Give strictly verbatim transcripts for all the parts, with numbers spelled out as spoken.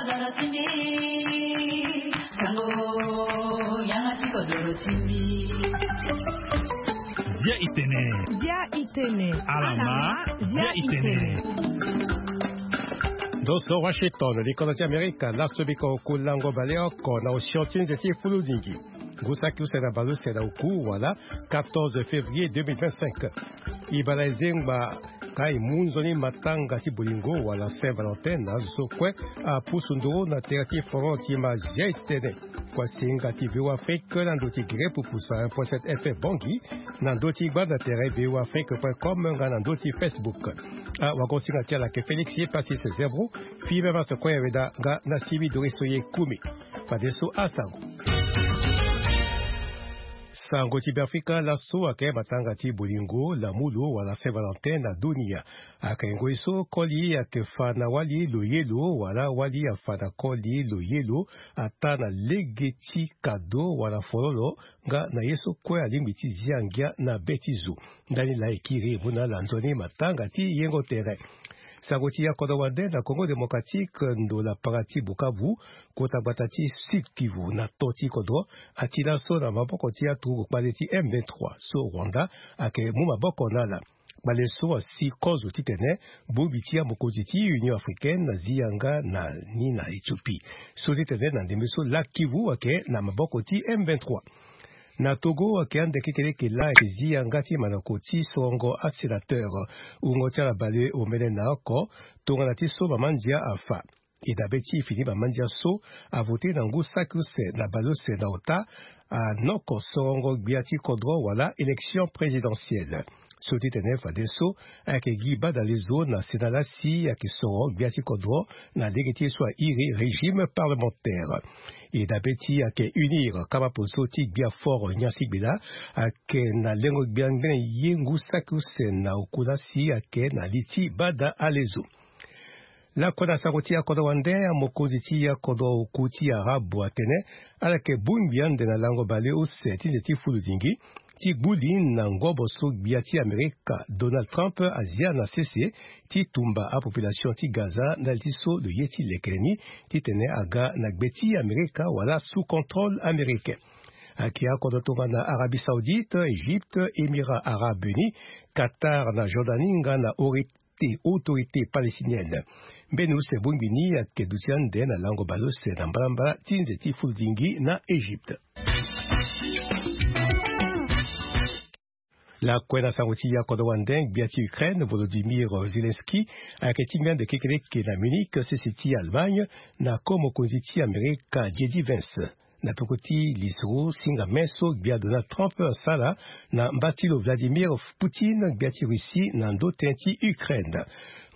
Dia itene. Dia itene. Alama. Dia itene. Ndo so Washington, likono ti Amerika, laso biko oku lango baleoko na osio ti nze ti fuludingi. Ngu saki use na baleuse na oku wala quatorze février deux mille vingt-cinq. Ibala ezengba ka e mu nzoni matanga ti bolingo wala Saint Valentin na azo so kue apusu nduru na tere ti foron ti ma Dia itene. Kua singa ti V O A Afrique na ndö ti gere pupusa un point sept F M Bangui, na ndö ti gbanda tere V O A Afrique point com nga na ndö ti Facebook. Awagosinga ti ala ayeke Félix Epasis Zebro, Philippe Masse Koyaweda nga na Simi Doriso Yekumi. Fadeso asango. Sango ti Beafrika, laso ayeke matanga ti bolingo, lamulu wala Saint Valentin na dunia. Ayeke ngoi so koli ayeke fa na wali loyelo wala wali afa na koli loyelo, ataa na lege ti kado wala fololo, nga na ye so kue alingbi ti zia ngia na be ti zo. Ndani laa e kiri e mu na ala nzoni matanga ti yengo tere. Sango ti ya kodro wande na Congo Démocratique, ndo lapara ti Bukavu, kota gbata ti Sud Kivu na to ti kodro, ati laso na maboko ti aturugu kpale ti M vingt-trois so Rwanda ayeke mu maboko na ala. Kpale so asi kozo titene bongbi ti amokonzi ti Union Africaine azi yanga na ni na Éthiopie. So titene na ndembe so laa Kivu ayeke na maboko ti M vingt-trois. Na Togo ayeke ande kekereke laa ayeke zi yanga ti manako ti sorongo asénateur. Wungo ti ala bale omene na oko tongana ti so mama ndia afa. E dabe ti e fini mama ndia so avote na ngu saki use na baleuse na ota, anoko sorongo gbia ti kodro wala élection présidentielle. So titene fadeso ayeke gi badalezo na Sénat laa si ayeke soro gbia ti kodro na lege ti ye so airi régime parlementaire. E dabe ti e ayeke unir kama poso ti gbia fort nyansi gbela ayeke na lengo gbia ngbene ye ngu saki use na oku laa si ayeke na li ti bada alezo. Lakue na sango ti akodro wande, amokonzi ti akodro oku ti Arabe atene ala yeke bongbi ande na lango bale use ti nze ti fuludingi ti gbu li na ngobo so gbia ti Amerika Donald Trump azia na sese ti tumba apopulation ti Gaza ndali ti so lo ye ti lekere ni titene aga na gbe ti Amerika wala sous contrôle américain. Ayeke akodro tongana Arabie Saoudite, Égypte, Émirats Arabes Unis, Qatar na Jordanie nga na ori- ti autorité palestinienne. Mbeni use bongbi ni ayeke duti ande na lango baleuse na mbalambala ti nze ti fuludingi na Égypte. Lakue na sango ti akodro wande, gbia ti Ukraine Volodymyr Zelensky ayeke tingbi ande kekereke na Munich, sese ti Allemagne, na ko mokonzi ti Amerika J D Vance. Na peko ti lisoro singa me so gbia Donald Trump asara na mba ti lo Vladimir Poutine, gbia ti Russie, na ndo tënë ti Ukraine.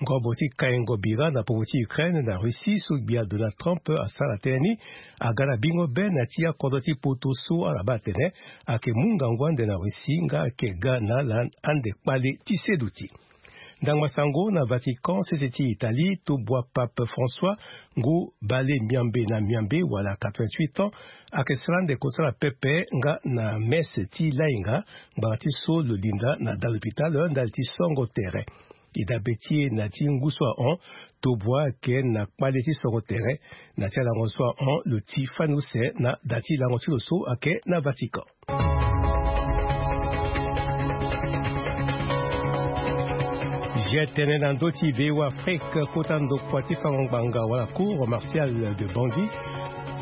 Ngobo ti kaingo bira na popo ti Ukraine na Russie so gbia Donald Trump asara tënë ni aga na bingo be na ya ti akodro ti poto so ala baa atene ayeke mu ngangu ande na Russie nga ayeke ga na ala ande kpale ti seduti. Ndangba sango na Vatican, sese ti Italie, tobua Pape François, ngu bale miambe na miambe wala quatre-vingt-huit ans, ayeke sara ande kosala pepe nga na messe ti lainga ngbanga ti so lo linda na da lopitalo ndali ti songo tere. E dabe ti e na ti ngu so ahon, tobua ayeke na kpale ti songo tere. Na ti alango so ahon, lo ti fani use na da ti lango ti lo so ayeke na Vatican. Zia tene na ndö ti V O A Afrique, kota ndokua ti fango ngbanga wala cour martiale de Bangui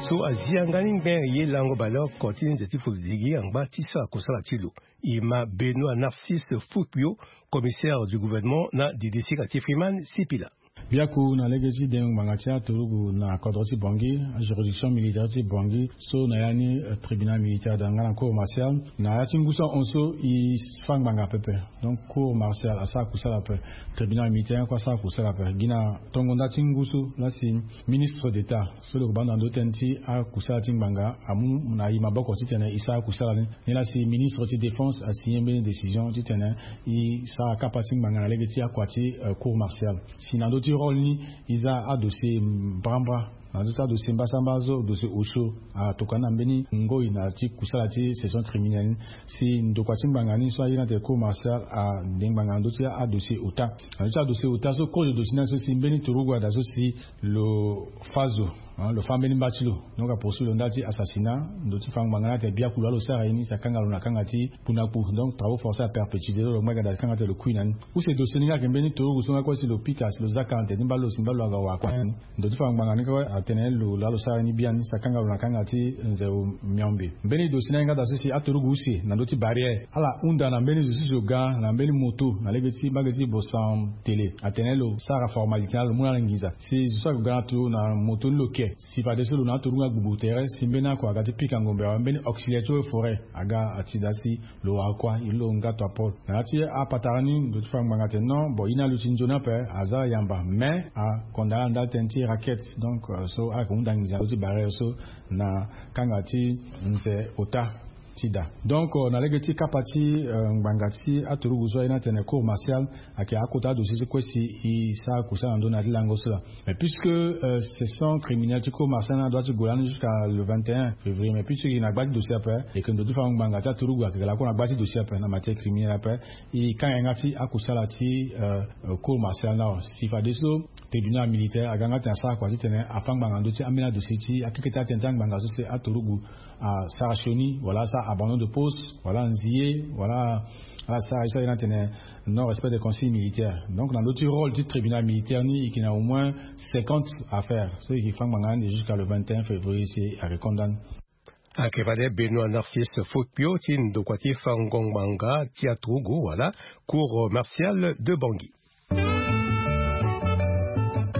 so azi yanga ni ngbe ye lango baleoko ti nze ti fuludingi angba ti sara kosala ti lo. E ma Benoît Narcisse Fouquio, commissaire du gouvernement na didisinga ti Freeman Sipila. Biaku na lege ti dengo ngbanga ti aturugu na kodro ti Bangui, juridiction militaire ti Bangui so na ya ni, eh, tribunal militaire da nga na cour martiale. Na ya ti ngu so ahon so e fa ngbanga pepe. Donc cour martiale asara kusala ape. Tribunal militaire kue asara kusala ape. Gi na tongo nda ti ngu so laa si ministre d'État so lo yeke baa ndo na ndo tënë ti akusala ti ngbanga amu na e maboko titene e sara kusala ni. Ni laa si ministre ti défense asigné mbeni décision titene e sara kapa ti ngbanga na lege ti akua ti, eh, cour martiale. Si na ndö ti rôle ni e za adossier mbrambra Na ndö ti adossier mbasamba so dossier osio atokua ni na mbeni ngoi na ti kusala ti session criminelle ni. Si ndokua ti ngbanga ni so aye ni atene cour martiale ande ngbanga na ndö ti adossier ota. Na ndö ti adossier ota so cause de dossier ni aye so si mbeni turugu ada so si lo fa zo, lo fa mbeni mba ti lo, donc apoursuit lo ndali ti assassinat. Ndö ti fango ngbanga ni atene biaku lo alo sara ye ni si akanga lo na kanga ti kpuna kpu, donc travaux forcés à perpétuité. Lo lo ngba gada kanga ti lo kui na ni. Use dossier ni nga ayeke mbeni turugu so nga kue si lo pika si lo zia kante ti mba lo si mba lo aga wa kue na ni. Ndö ti fango ngbanga ni kue atene lo lo alo sara ye ni biani si akanga lo na kanga ti nze miombe. Mbeni dossier ni aye nga daa so si aturugu use na ndö ti barrière ala hunda na mbeni zo so si lo ga na mbeni moto na lege ti mbage ti bosan tele atene lo sara formalité na lo mu na ala nginza si zo so ayeke ga na to na moto ni lo ke. Si fadeso lo na aturugu agbugbu tere si mbeni ako aga ti pika ngombe awe mbeni auxiliaire ti eaux et forêt aga ati daa si lo wara kua ilo nga to apol na ya ti apatara ni. Ndo ti fa ngbanga tene non bon ye ni aluti nzoni ape aza yamba mais akondamne ala ndali tënë ti raquette donc so ala yeke hunda nginza na ndö ti barrière so na kanga ti nze ota ti daa. Donc na lege ti kapa ti ngbanga ti aturugu so aye ni atene cour martiale ayeke akota adossier ti kue si e sara kusala na ndö na ya ti lango so laa. Mais puisque session criminelle ti cour martiale ni adua ti gue lani jusqu'à le vingt et un février mais puisque e yeke na gba ti dossier ape e yeke ndo ti fa ngbanga ti aturugu ayeke lakue na gba ti dossier ape na matière criminelle ape. E kanga yanga ti akusala ti cour martiale ni awe si fadeso tribunal militaire aga yanga titene asara kua titene afa ngbanga na ndö ti ambeni adossier ti akekete atënë ti angbanga so si aturugu asara sioni wala asara abandon de poste wala anzie wala ala sara ye so aye ni atene non respect des consignes militaires. Donc na ndö ti rôle ti tribunal militaire ni e yeke na au moins cinquante affaires so e yeke fa ngbanga ni jusqu'à le vingt et un février si ayeke condamne. Ayeke fade Benoît Narcisse Fokpio ti ndokua ti fango ngbanga ti aturugu wala cour martiale de Bangui.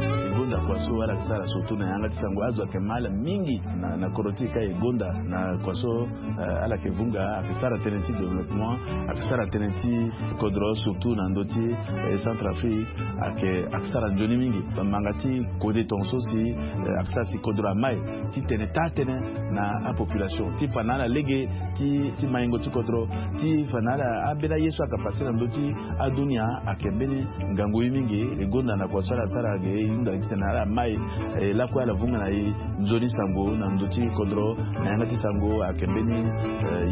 E gonda kua so ala yeke sara surtout na yanga ti sango azo ayeke mal mingi na kodro ti e ka e gonda na kua so ala yeke vunga ayeke sara tënë ti développement ayeke sara tënë ti kodro surtout na ndö ti Centrafrique ayeke ayeke sara nzoni mingi. Manga ti kode tongaso si ayeke sara si kodro amai titene taa tënë na apopulation ti fa na ala lege ti maingo ti kodro ti fa na ala ambeni aye so ayeke pase na ndö ti adunia ayeke mbeni ngangu ye mingi. E gonda na kua so ala sara ge e hunda titene ala mai lakue ala vunga na e nzoni sango na ndö ti kodro na yanga ti sango ayeke mbeni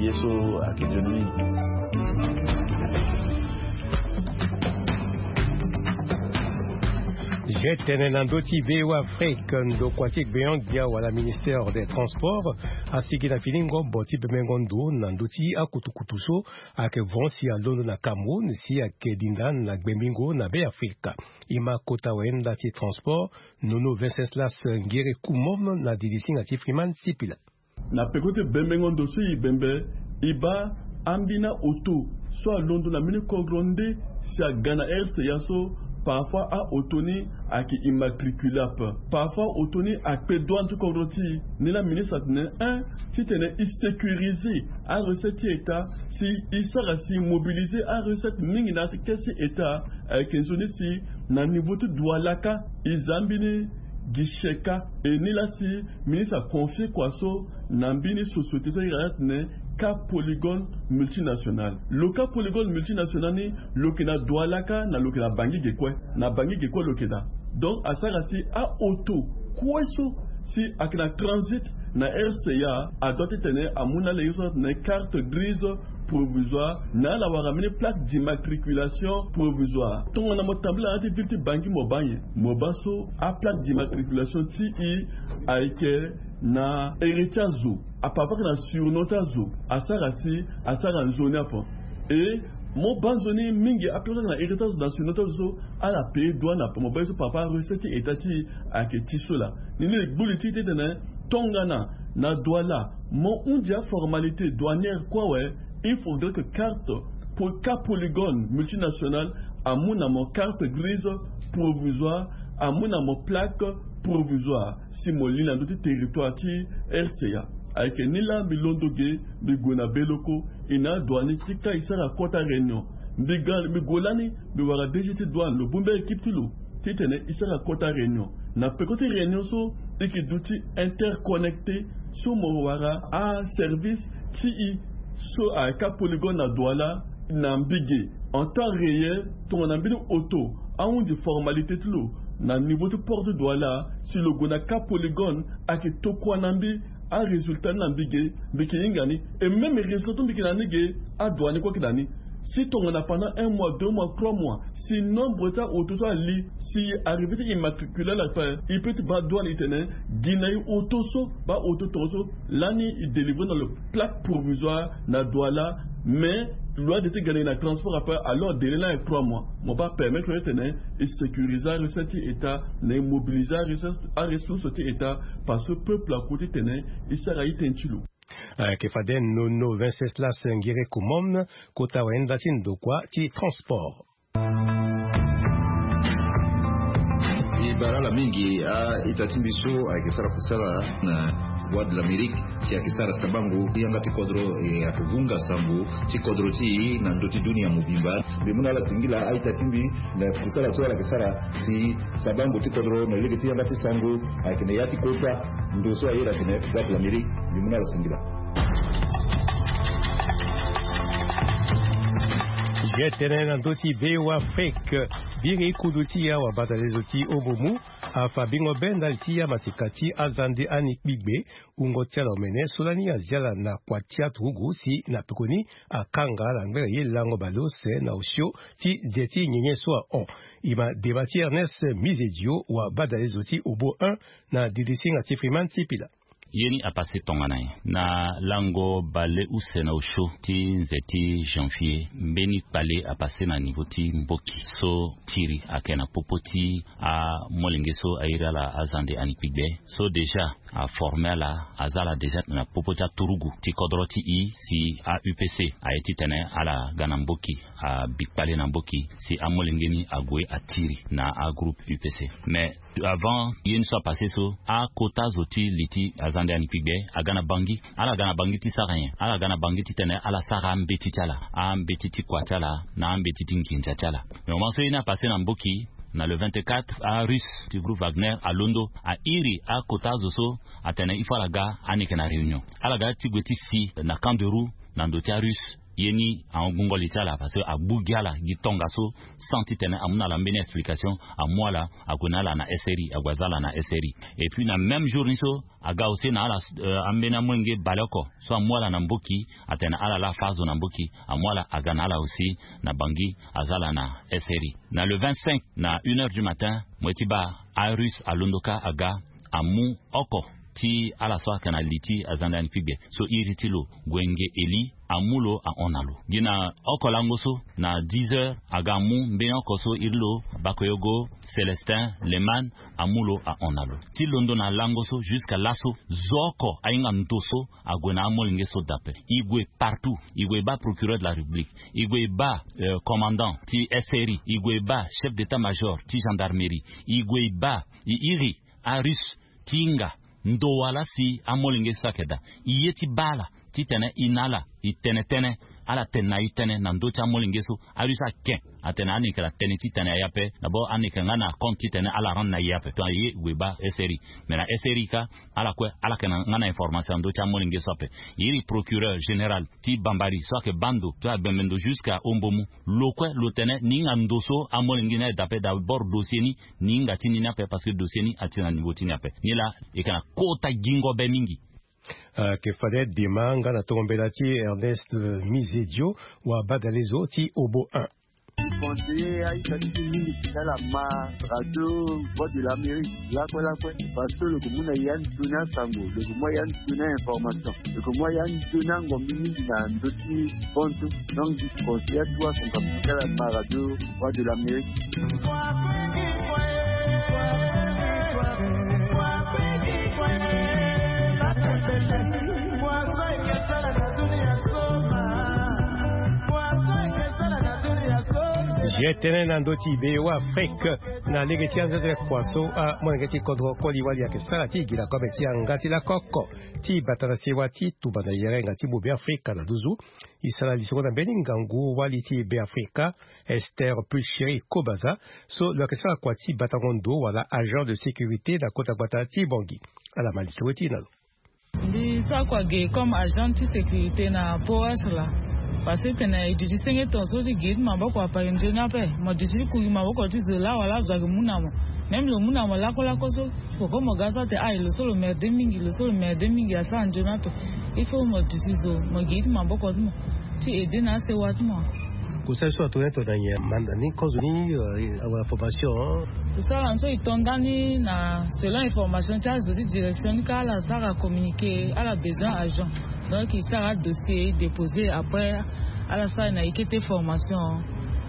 ye so ayeke nzoni mingi. Ge tene na ndö ti V O A Afrique ndokua ti gbenyo-gbia wala ministère des transports asigi na fini ngombo ti bemengo ndo na ndö ti akutukutu so ayeke vran si alondo na Cameroun si ayeke dinda na gbengbingo na Be Afrika. E ma kota wayenda ti transport Nono Wenceslas Ngere Kumom na didi singa ti Freeman Sipila. Na peko ti bembengo ndo so e bembe e baa ambeni aoto so alondo na mbeni kodro nde si aga na R C A so parfois aoto ni ayeke immatriculable. Parfois aoto ni akpe douane ti kodro ti e. Ni laa ministre atene un titene e sécuriser arecette ti état si e sara si e mobiliser arecette mingi na kesi état ayeke nzoni si na niveau ti Douala kâ e za mbeni guichet kâ. E ni laa si ministre aconfie kua so na mbeni société so e yeke atene Cap Polygone Multinational. Lo Cap Polygone Multinational ni lo yeke na Douala kâ na lo yeke na Bangui ge kue. Na Bangui ge kue lo yeke daa. Donc asara si aoto kue so si ayeke na transit na R C A adoit titene amu na ala ye so atene carte grise provisoire na ala wara mbeni plaque d'immatriculation provisoire. Tongana mo tambula na ya ti ville ti Bangui mo baa nyen? Mo baa so aplaque d'immatriculation ti e ayeke na ere ti azo. Apapa ayeke na surnom ti azo. Asara si asara nzoni ape. E mo baa nzoni mingi aplaque ayeke na ere ti azo na surnom ti azo so ala paye douane ape. Mo baa ye so papa arecette ti état ti e ayeke ti so laa. Ni ni e gbu li ti e titene tongana na Douala mo hundi aformalité douanière kue awe. Il faudrait que carte pour Cap Polygone Multinational amu na mo carte grise provisoire amu na mo plaque provisoire si mo li na ndö ti territoire ti R C A. Ayeke ni laa mbi londo ge mbi gue na Beloko. E na adouane ti ka e sara kota réunion. Mbi ga mbi gue lani mbi wara D G ti douane lo bongbi a-équipe ti lo titene e sara kota réunion. Na peko ti réunion so e yeke duti interconnecté so mo wara aservice ti e so ayeke Cap Polygone na Douala na mbi ge en temps réel tongana mbeni oto ahundi formalité ti lo Na niveau ti port ti Douala, si lo gue na Cap Polygone, ayeke tokua na mbi. Arésultat ni na mbi ge, mbi yeke hinga ni. Et même résultat ti mbi yeke na ni ge, adoua ni kue ayeke na ni. Si tongana pendant un mois, deux mois, trois mois, si nombre ti aoto so ali, si arrivé ti immatriculer ala ape, e peut ti baa douane e tene gi na e oto so, baa oto tongaso. Lani e délivrer na lo plaque provisoire na Douala. Mais loi de ti gagner na transport ape, alors délai ni ayeke trois mois. Mo baa permettre lo ti tene e sécuriser arecette ti État, na e mobiliser arecette, aressource ti État, parce que peuple akue ti tene e sara e tënë ti lo. Ayeke fade Nono Venceslas Ngiri Komon, kota wayenda ti ndokua ti transport. E bara ala mingi a-ita ti mbi so ayeke sara kusala na Voix de l'Amérique, si ayeke sara sabango ti yanga ti kodro, e ayeke gunga sango ti kodro ti e na ndö ti dunia mobimba. Mbi mu na ala singila a-ita ti mbi na kusala so ala yeke sara, si sabango ti kodro na lege ti yanga ti sango ayeke na ya ti kota ndo so aye na tene Voix de l'Amérique. Mbi mu na ala singila. Ye tënë na ndö ti Be Afrique. Biri kudu ti ya wabata lezo ti Obomu afa bingo be ndali ti ya masika ti azande ani kpigbe. Wungo ti ala omene so lani azi ala na kua ti aturugu si na pekoni akanga ala ngbene ye lango baleuse na osio ti ze ti nyenye so ahon. E ma dema ti Ernest Mizedio wabata lezo ti Obo un na didi singa ti Freeman ti Pila. Ye ni apassé tongana nyen? Na lango baleuse na osio ti nze ti janvier, mbeni kpale apassé na niveau ti mboki so tiri ayeke na popo ti amolenge so airi ala azande ani kpigbe. So déjà aformé ala, aza ala déjà na popo ti aturugu ti kodro ti e si a-U P C aye titene ala ga na mboki, abi kpale na mboki si amolenge ni ague atiri na agroupe U P C. Mais avant ye ni so apassé so, akota zo ti li ti azande ani kpigbe aga na Bangui. Ala ga na Bangui ti sara nyen? Ala ga na Bangui titene ala sara ambeti ti ala, ambeti ti kua ti ala na ambeti ti nginza ti ala. Mais moment so ye ni apassé na mboki, na le vingt-quatre, arusse ti groupe Wagner alondo airi akota zo so atene il faut ala ga aneke na réunion. Ala ga ti gue ti si na Camp de Roux na ndo ti arusse. Ye ni ahon gungo li ti ala parce que agbu gi ala gi tongaso sans titene amu na ala mbeni explication. Amu ala ague na ala na S R I, ague aza ala na S R I. Et puis na même jour ni so aga aussi na ala, euh, ambeni amolenge baleoko so amu ala na mboki, atene ala laa afa azo na mboki, amu ala aga na ala aussi na Bangui, aza ala na S R I. Na le vingt-cinq, na une heure du matin, mo ye ti baa arusse alondo kâ aga, amu oko ti ala so ayeke na li ti azande ani kpigbe so iri ti lo Gwenge Eli, amu lo ahon na lo. Gi na oko lango so, na dix heures, aga amu mbeni oko so iri lo Bakoyogo Célestin Leman, amu lo ahon na lo. Ti londo na lango so jusqu'à laso, zo oko ahinga ndo so ague na amolenge so daa ape. E gue partout, e gue e baa procureur de la République, e gue e baa, euh, commandant ti S R I, e gue e baa chef d'état-major ti gendarmerie, e gue e baa, e iri arusse ti hinga ndo wala si amolenge so ayeke daa. E ye ti baa ala titene e na ala e tene tënë, ala tene na e tënë na ndö ti amolenge so. Arusse ake atene aneke la tënë titene aye ape. D'abord aneke nga na compte titene ala rendre na e ape. Donc aye e gue e baa S R I. Mais na S R I kâ, ala kue ala yeke na nga na information na ndö ti amolenge so ape. E iri procureur général ti Bambari so ayeke baa ndo, so agbembe ndo jusqu'à Ombomu. Lo kue lo tene ni hinga ndo so amolenge ni aye daa ape. D'abord dossier ni, ni hinga ti ni ni ape parce que dossier ni ati na niveau ti ni ape. Ni laa e yeke na kota gingo be mingi. Ayeke fade dema nga na tongo mbela ti Ernest, euh, Mizedio, wabadalezo ti Obo un. Conseiller a-ita ti mbi mingi ti ala ma radio Voix de l'Amérique lakue lakue, parce que lo yeke mu na ya nzoni asango, lo yeke mu ya nzoni a-information, lo yeke mu ya nzoni angombi mingi na ndö ti Bon, donc, je conseille à toi, son capital à ma radio, Voix de l'Amérique. Ye tënë na ndö ti Be Afrique na lege ti anzete kua so amolenge ti kodro koli wali ayeke sara ti gi na kobe ti yanga ti lakoko ti bata na sewa ti tumba na yerenga ti Be Afrique na nduzu. E sara lisoro na mbeni ngangu wali ti Be Afrika, Esther Pulcheri Kobaza, so lo yeke sara kua ti batango ndo wala agent de sécurité na kota gbata ti Bangui. Ala ma lisoro ti e na lo. Mbi sara kua ge comme agent ti sécurité na P O S laa. Parce que tene e duti senge tongaso ti gi ti maboko ape, nzoni ape mo duti ti ku gi maboko ti zo laa wala azo ayeke mu na mo. Même lo mu na mo lakolako so, foko mo ga so ate aye lo so lo merde mingi, lo so lo merde mingi asara nzoni ape. Il faut mo duti zo, mo gi ti maboko ti mo ti aide na asewa ti mo. Kusala so atonda ni to na nyen manda ni kozo ni, euh, awa formation. Kusala ni so e tonda ni na selon information ti azo ti direction ni ka ala sara communiqué ala besoin agent. Donc e sara dossier e déposer après ala sara na e kete formation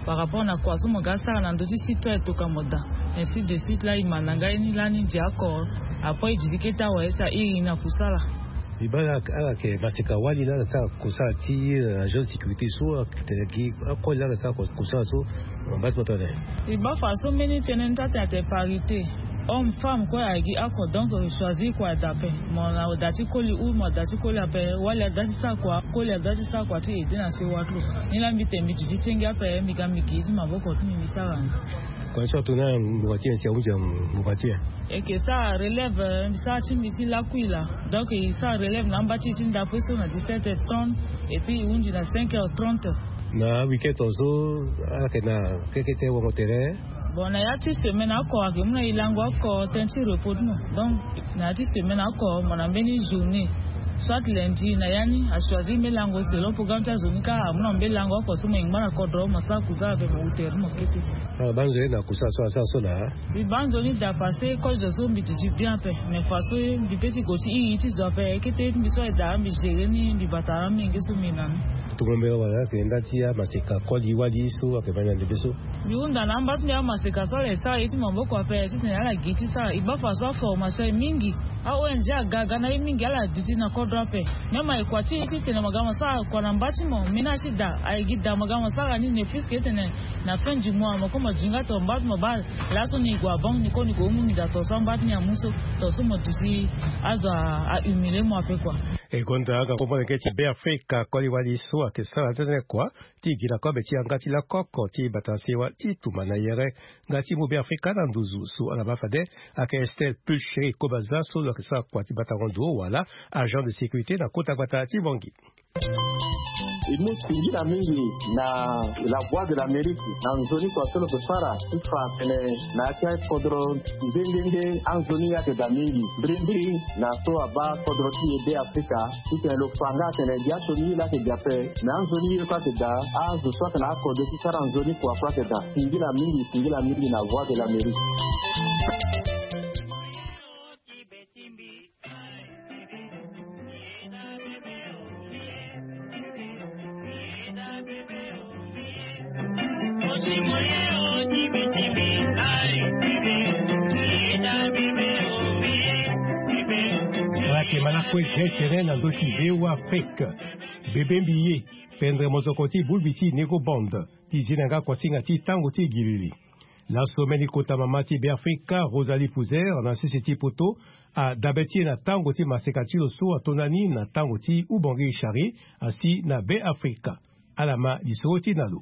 par rapport na kua so mo ga sara na ndö ti site to e toka mo daa. Ainsi de suite la e ma na ngai ni lani ndia oko. Après e diri kete awa e sa iri na kusala. E baa ala ala yeke maseka wali la ala sara kusala ti, euh, agent de sécurité so atene gi akoli la ala sara kusala so. Mba ti mo tene. E baa fa so mbeni tënë ni ti atene ate parité. Homme femme kue ayeke gi oko, donc e choisir kua e daa ape. Mo na daa ti koli ou mo daa ti koli ape, wali adaa ti sara kua, koli adaa ti sara kua ti aide na sewa ti lo. Ni la mbi tene mbi duti senge ape mbi ga mbi gi ti maboko ti mbi mbi sara ni. Kua so atongana ngbonga ti nyen si ahunzi ngbonga ti nyen? E yeke sara relève, eh, mbi sara ti mbi ti lakui laa. Donc e sara relève na amba ti e ti ndapue so na dix-sept heures trente et puis e hunzi na cinq heures trente. Na week-end tongaso ala yeke na kekete wango tere. Bon, na ya ti semaine oko ayeke mu na e lango oko tënë ti repos ti mo. Donc na ya ti semaine oko mo na mbeni journée, soit lundi na ya ni a choisir mbeni lango selon programme ti azo ni kâ amu na mbeni lango oko so mo yingba na kodro mo sara kusala ape mo wu tere ti mo kete. Ala baa nzoni na kusala so asara so laa. Mbi baa nzoni daa parce que kozo so mbi duti bien ape. Mais fa so mbi pe ti gue ti iri ti zo ape kete mbi so aye daa mbi gérer ni mbi bata na amenge so mbi na ni. Tongo mbela wala ayeke nda ti amaseka koli wali so ayeke baa na ndembe so. Mbi hunda na amba ti mbi amaseka so ala ye sara ye ti maboko ape titene ala gi ti sara e baa fa so aformation e mingi. A-ong aga aga na ye mingi ala duti na kodro ape. Même aye kua ti e titene mo ga mo sara kua na mba ti mo ménage ti daa aye gi daa mo ga mo sara ni ne puisque titene na fin du mois mo kue mo duti nga to mba ti mo baa. Laso ni e gue abon ni kue ni gue mu ni daa to so amba ti ni amu so to so mo duti azo a humilier mo ape kua. E gonda aga kombo na ge ti Beafrika koli wali so ayeke sara tënë kua ti gi na kobe ti yanga ti lakoko ti bata sewa ti tumba na yere. Nga ti mu Beafrika na nduzu so ala baa fade ayeke Estelle Pulchérie Kobaza so lo yeke sara kua ti batango ndo wala agent de sécurité na kota gbata ti Bangui. E mu singila mingi na La Voix de l'Amérique na nzoni kua so lo yeke sara ti fa atene na ya ti akodro nde nde nde anzoni ayeke daa mingi mbirimbiri na so abaa kodro ti e Beafrika. Titene lo fa nga atene gi asioni ye laa ayeke daa ape. Me anzoni ye kue ayeke daa azo so ayeke na akode ti sara nzoni kua kue ayeke daa. Singila mingi singila mingi na Voix de l'Amérique. Ala yeke ma lakue gene tene na ndö ti V O A Afrique. Bebe mbi ye pendere mozoko ti bulbi ti Nego Band ti zi na yanga kuasinga ti tango ti gilili. Laso mbeni kota mama ti Beafrika Rosalie Pouzer na sese ti poto adabe ti e na tango ti maseka ti lo so atonda ni na tango ti Ubangui Chari asi na Beafrika. Ala ma lisoro ti na lo.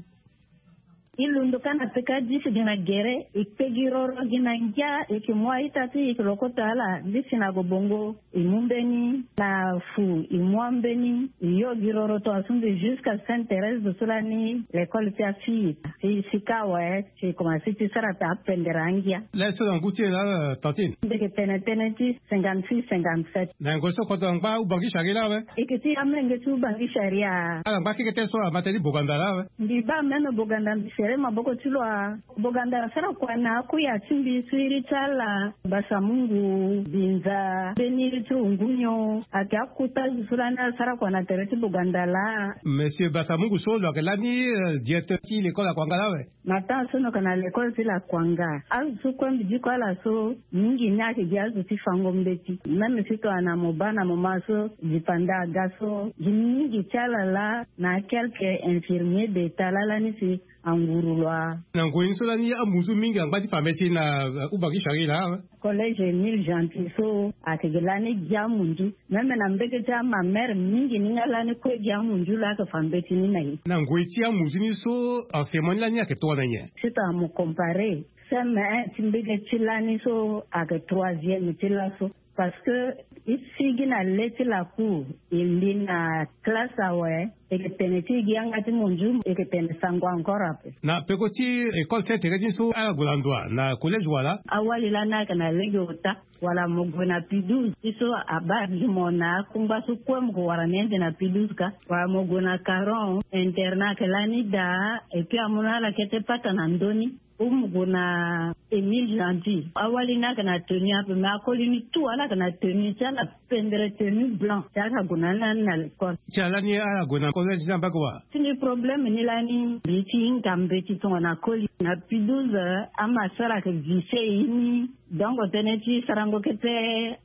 E londo ka na peka disi gi na gere e kpe gi roro gi na ngia e yeke mu a-ita ti e e yeke lokota ala disi na gobongo. E mu mbeni na fu e mu ambeni e yo gi roro tongaso mbi jusqu'à Sainte Thérèse do so lani l'école ti afille. Si sika awe si e komanse ti sara ta apendere angia. Laso na ngu ti e laa tantine? Mbi yeke tene tënë ti cinquante-six cinquante-sept. Na yango so kodro angba Ubangui Chari laa awe? E yeke ti amenge ti Ubangui Chari. Ala ngba keke tënë so amata ni Boganda laa awe? Mbi baa meme Boganda mbi sere maboko ti lo a. Boganda asara kua na akuya ti mbi so iri ti ala Basamungu, Binza, mbeni iri ti Rungunio ayeke akota zo so lani asara kua na tere ti Boganda laa. Monsieur Basamungu so lo yeke lani, euh, directeur ti l'école Lakuanga laa awe? Na temps so no yeke na l'école ti Lakuanga azo so kue mbi diko ala so mingi ni ayeke gi azo ti fango mbeti. Même si tongana mo baa na moment so dipanda aga so gi mingi ti ala laa na quelques infirmiers d'état laa lani si anguru lo a. Na ngoi ni so lani amunzu mingi angba ti fa mbeti na, uh, Ubangui Chari laa awe? Collège Émile Gentil so ayeke gi lani gi amunzu. Meme na mbege ti amamere mingi ni nga lani kue gi amunzu laa ayeke fa mbeti ni na e. Na ngoi ti amunzu ni so enseignement ni lani ayeke tongana nyen? Si tongana mo comparer C M un ti mbege ti lani so ayeke troisième ti laso. Parce que e sigi na le ti laku, e mbi na classe awe, e ke tene ti e gi yanga ti monzu, e ke tene sango encore ape. Na peko ti école ti tere ti so ala gue na ndo wa na collège wala? Awali lani ayeke na lege ota. Wala mo gue na pidouze ti so abaa gi mo na akungba so kue mo ke wara ni ande na pidouze ka. Wala mo gue na caron, internat ayeke lani daa. Et puis amu na ala kete pata na ndö ni. Ou mo gue na Émile Gentil, awali ni ayeke na tenue ape, mais akoli ni tout ala yeke na tenue ti ala, pendre tenue blanc ti ala gue na ni lani na l'école. Ti ala ni ala gue na collège ni abaa wa? Ti ni problème ni lani mbi ti hinga mbeti tongana koli na pidouze. Ama sara ayeke vise ye ni. Donc tënë ti sarango kete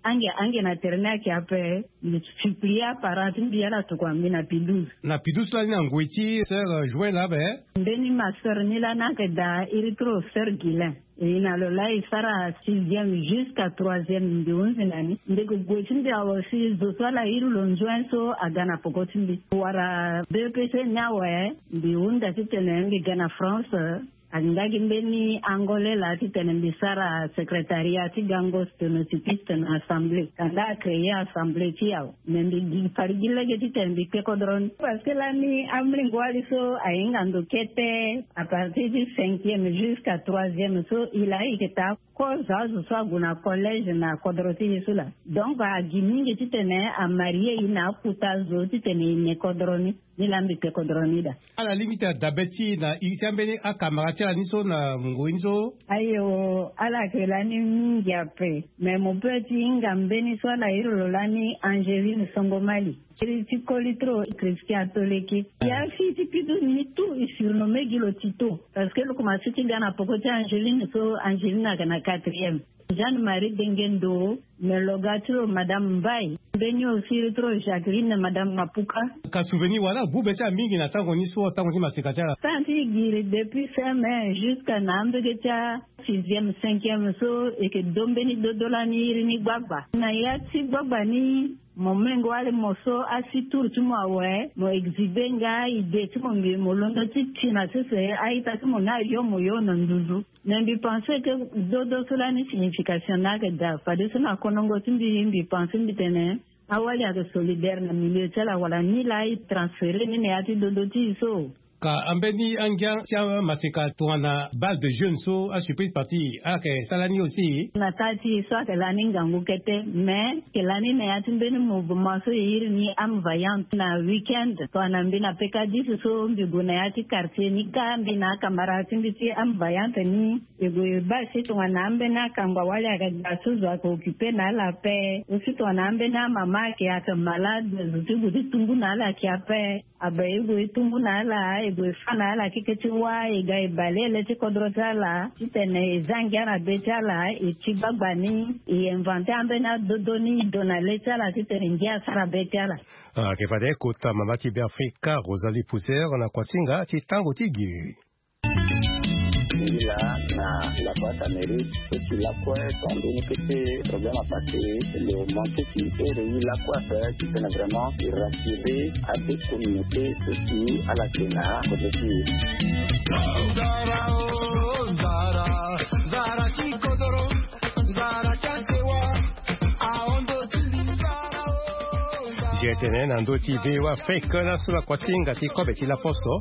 ange ange na tere ni ayeke ape. Mbi supplie aparent ti mbi ala tokua mbi na pidouze. Na pidouze lani na ngoi ti sœur Joël ape? Mbeni ma sœur ni lani ayeke daa iri trop, sœur Guilain. E na lo laa e sara sixième jusqu'à troisième mbi hunzi na ni. Ndege gue ti mbi awe si zo so ala iri lo nzuen so aga na poko ti mbi. Wala B E P C ni awe mbi hunda titene mbi ga na France. Angba gi mbeni angolais laa titene mbi sara secrétariat ti gango sténotypiste na assemblée. Kanda acréer assemblée ti e awe. Mais mbi gi fari gi lege titene mbi kpe kodro ni. Parce que lani amolenge wali so ahinga ndo kete à partir du cinquième jusqu'à troisième so, e laa e yeke taa kozo azo so ague na collège na kodro ti e so laa. Donc agi mingi titene amarie e na akota zo titene e ne kodro ni. Ni laa mbi kpe kodro ni daa. Ala lingbi ti dabe ti e na iri ti ambeni akamara ti ala ni so na ngoi ni so? Ayo, ala yeke lani mingi ape. Mais mo peut ti hinga mbeni so ala iri lo lani Angeline Songomali. Iri ti koli trop, Christian Toleki. Ya fille ti pidouze ni tout e surnomme gi lo Tito. Parce que lo komanse ti ga na poko ti Angeline so, Angeline ayeke na quatrième. Jeanne Marie Dengendo, me lo ga ti lo Madame Mbai. Mbeni aussi iri ti lo Jacqueline, Madame Mapuka. Ka souvenir wala gbu be ti ala mingi na tango ni so, tango ti maseka ti ala? Tango ti giri depuis fin mai jusqu'à na ambege ti asixième, cinquième so, e yeke do mbeni dodo lani iri ni gbagba. Na ya ti gbagba ni, mo menge wali mo so asi tour ti mo awe, mo exhiber nga idée ti mo, mbi mo londo ti ti na sese a-ita ti mo ni ayo mo yo na nduzu. Mais mbi pense que dodo so lani signification ni ayeke daa, fadeso na konongo ti mbi, mbi pense mbi tene awali ayeke solidaire na milieu ti ala, wala ni laa e transférer ni na ya ti dodo ti e so. Ka ambeni angia ti amaseka tongana bal de jeune so, asurprise party, ala yeke sara ni aussi? Na kâ ti e so ayeke lani ngangu kete, mais ayeke lani na ya ti mbeni mouvement so e iri ni Âme Vaillante. Na week-end tongana mbi na pekadis so, mbi gue na ya ti quartier ni kâ, mbi na akamara ti mbi ti Âme Vaillante ni. E gue e baa si tongana ambeni akangba wali ayeke ga so, zo ayeke occuper na ala ape. Aussi tongana ambeni amama ayeke, ayeke malade, zo ti gue ti tumbu na ala ayeke ape. Abe e gue e tumbu na ala, e gue e fâ na ala keke ti wâ, e ga e bale ele ti kodro ti ala titene e zia ngia na be ti ala, e ti gbagba ni, e inventer ambeni adodo ni, e do na le ti ala titene ngia asara be ti ala. Ah, ayeke fade kota mama ti Beafrika, Rosalie Pousser, na kuasinga ti tango ti giri. Ngi laa na la boîte à mérite, so ti lakue, tongana mbeni kete problème apassé, lo manqué ti ere e lakue ape, titene vraiment e rassurer abe communauté so si ala yeke na kozo ti e. Nzara o, nzara, nzara ti kodoro, nzara ti asewa, ahon ndo ti mbi, nzara o, nzara. G T N na ndö ti V O A Afrique, laso na kuasinga ti kobe ti laposo.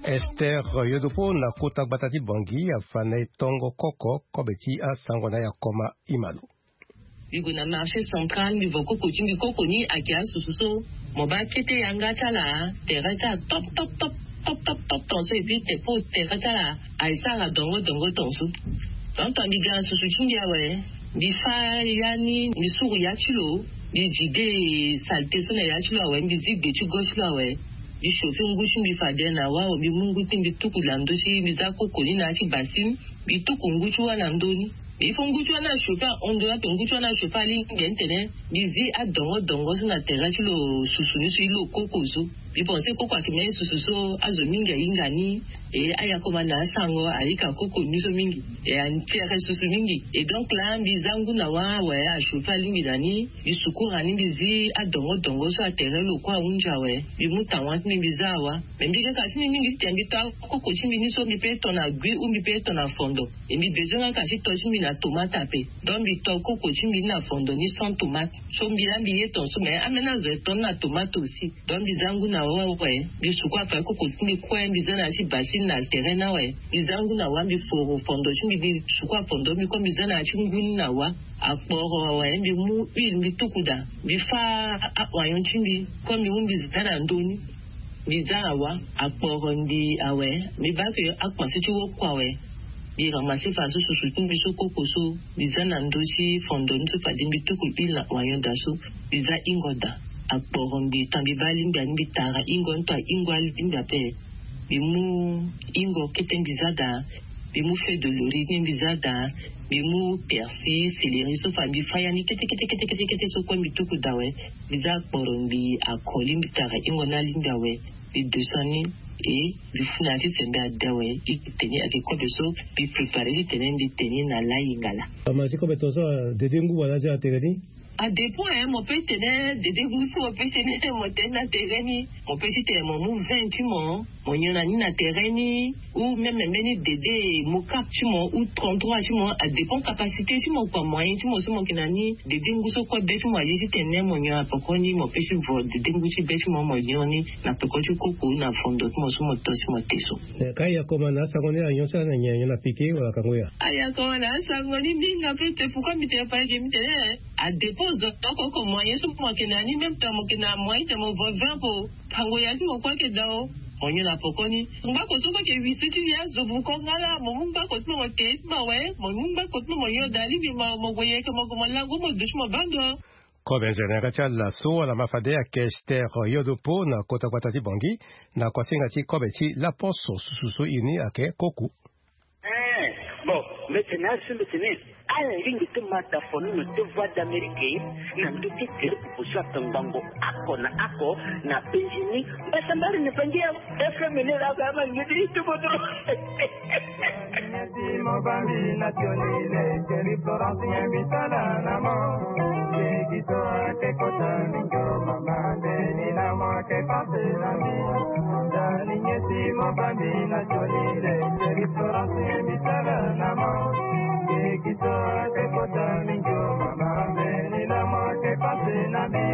Esther Yodopo na kota gbata ti Bangui afa na e tongo koko kobe ti asango na Yakoma Imalo. Mbi gue na marché central, mbi vo koko ti mbi, koko ni ayeke asusu so mo baa kete yanga ti ala, tere ti ala top top top top top top ton so, et puis te po tere ti ala aye sara dongo dongo ton so. Donc tongana mbi ga na susu ti mbi awe, mbi fâ ya ni, mbi suru ya ti lo, mbi vide saleté so na ya ti lo awe, mbi zi gbe ti go ti lo awe. Mbi chauffer ngu ti mbi fade na wâ awe, mbi mu ngu ti mbi tuku na ndö ti, mbi za koko ni na ya ti bassine, mbi tuku ngu ti wâ na ndö ni. Mais il faut ngu ti wâ ni achauffer ahon ndo ni ape, ngu ti wâ ni achauffer alingbi ni tene mbi zi adongo dongo so na tere ti lo susu ni so, e lo koko so. Mbi pense koko ayeke même susu so azo mingi ahinga ni. E ayakoma na asango ayika koko ni so mingi. E antere susu mingi. E donc la mbi za ngu na wa awe, achauffer alingbi na ni. Mbi sukura ni, mbi zi adongo dongo so atere lo kue ahunzi awe. Mbi mu tawa ti mbi, mbi za awa. Mais mbi yeke ka ti mbi mingi titene mbi to akoko ti mbi ni so mbi pe to na gui ou mbi pe to na fondo. E mbi bezoin nga ka ti to ti mbi na tomate ape. Donc mbi to koko ti mbi ni na fondo ni sans tomate. So mbi la mbi ye ton so, mais ambeni azo e to ni na tomate aussi. Donc mbi za ngu na wa awe, mbi suku afa koko ti mbi kue, mbi za na ya ti bassine na tere ni awe. Mbi za ngu na wa, mbi foro fondo ti mbi, mbi suku afondo mbi kue, mbi za na ya ti ngu ni na wa. Akporo awe, mbi mu huile mbi tuku daa, mbi fâ a- a- oignon ti mbi, comme mbi mu mbi za na ndö ni. Mbi za awa, akporo mbi awe, mbi baa ke akpasi ti wokua awe. Mbi ramasser fa so susu ti mbi so koko so, mbi za na ndö ti fondo ni so fade mbi tuku huile na oignon daa so, mbi za hingo daa. Akporo mbi, tant mbi baa alingbi ani, mbi tara hingo ni, tant ahingo alingbi ape. Mbi mu hingo kete mbi za daa. Mbi mu feuille de laurier ni mbi za daa. Mbi mu persil, céleri so fa mbi fâ ya ni kete kete kete kete kete so kue mbi tuku daa awe. Mbi za akporo mbi, akoli mbi tara hingo ni alingbi awe. Mbi descend ni. E mbi fu na ya ti sembe ade awe. I tene ni ayeke kobe so mbi préparer titene mbi tene ni na lai ngala. Ama ti kobe tongaso, adede ngu wala aza na tere ni? Adépend, hein, mo pe tene dede ngu so mo pe tene mo tene na tere ni. Mo pe ti tene mo mu vin ti mo, mo nyon na ni na tere ni. Ou même mbeni dede mocap ti mo ou trente-trois ti mo, adépend capacité ti mo kua, moyen ti mo so mo yeke na ni. Dede ngu so kue be ti mo aye titene mo nyon na poko ni, mo pe ti vo dede ngu ti be ti mo, mo nyon ni na peko ti koko na fondo ti mo so mo to si mo te so. Eh, ka ayakoma na asango ni, anyon so ala na nyen, anyon na pike wala kango ya? Ayakoma na asango ni mingi ape. Te pourquoi mbi tene pa eke mbi tene, eh, adépend zo oko oko moyen so mo yeke na ni, même temps mo yeke na moyen titene mo vo vin po. Tango ya ti mo kue ayeke daa o. Mo nyon na poko ni. Ngbako so kue ayeke wisi ti ya zo buko nga laa, mo mu ngbako ti mo mo te ti mo awe, mo mu ngbako ti mo mo nyon daa, alingbi mo mo gue yeke mo gue mo lango mo duti mo baa ndo. Kobe nzere na yanga ti ala so ala ma fade ayeke Esther Yodopo na kota gbata ti Bangui, na kuasinga ti kobe ti laposo susu so iri ni ayeke koko. Eh, bon, mbi tene azo so mbi tene ala lingbi ti ma da fono na ti Voix d'Amérique na ndö ti tere popo so atongbango oko na oko na penzi ni. Mbasambala na Bangui awe. F M ni la ga ma ngidi tu bodro. Nyesi mo bambi na tioni le, Thierry Florence nyembi tala na mo. Ye kito ake kota mingo mama, ndeni na mo ake pase na mi. Dani nyesi mo bambi na tioni le, Thierry Florence nyembi tala na mo. Ye kito ake kota mingo mama, ndeni na mo ake pase na mi.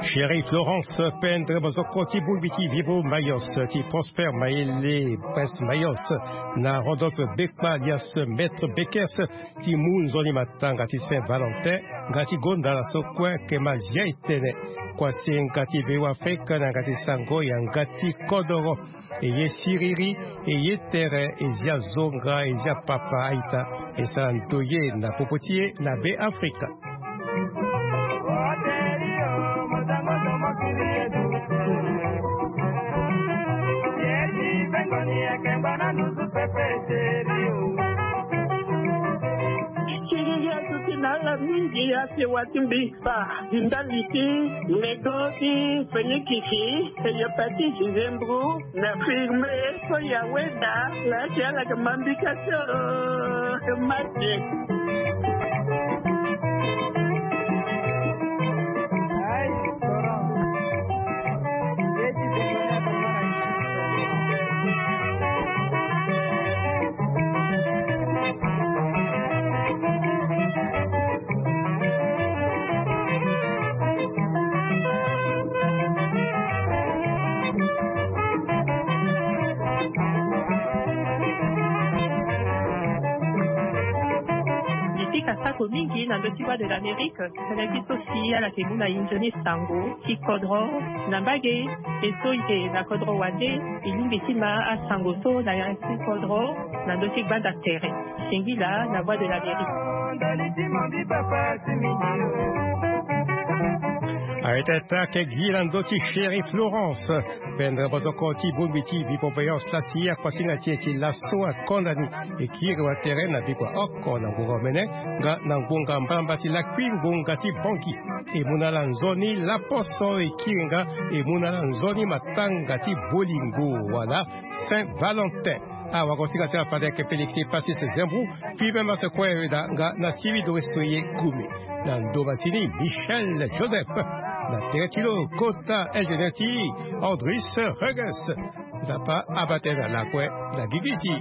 Chérie Florence Pendre, bozoko ti bongbi ti Vivo Mayos, ti Prosper Mayele, Prince Mayos, na Rodolphe Bekpa alias Maître Bekers, ti mu nzoni matanga ti Saint Valentin, nga ti gonda na so kue, ke ma zia e tene. Kuasinga ti Bêafrika na yanga ti sango, yanga ti kodoro. E ye siriri, e ye tere, e zia zonga, e zia papa a-ita, e sara ndoye na popo ti e na Bêafrika. Siriri azo ti na ala mingi, asewa ti mbi. Fa, ndali ti nego ti fenikisi, eyopa ti zizembru, na firme so ya weda, la ti ala ke mambika so, ke mate. Asako mingi na ndö ti Voix de l'Amérique. Tënë ti so si ala yeke mu na e nzoni sango ti kodro na mbage. E so e yeke na kodro wande, e lingbi ti ma asango so na ya ti kodro na ndö ti gbanda tere. Singila na Voix de l'Amérique. Arete attaque gi na ndö ti chéri Florence. Pendere bozoko ti bongbi ti bipopeyon sasi akuasinga ti e ti laso akonda ni. E kiri watere na bikua oko na ngonga omene nga na ngonga mbamba ti lakui ngonga ti bongi. E mu na ala nzoni laposo e kiri nga. E mu na ala nzoni matanga ti bolingo wala Saint Valentin. Awagosinga ti ala fade ayeke Félix Passis Zembrou. Puis même à ce coin da nga na siri dorestoye kumi na ndo masini Michel Joseph. Na tere ti lo kota ingénieur ti Andris Reges. Nzapa abate na lakue na gigi ti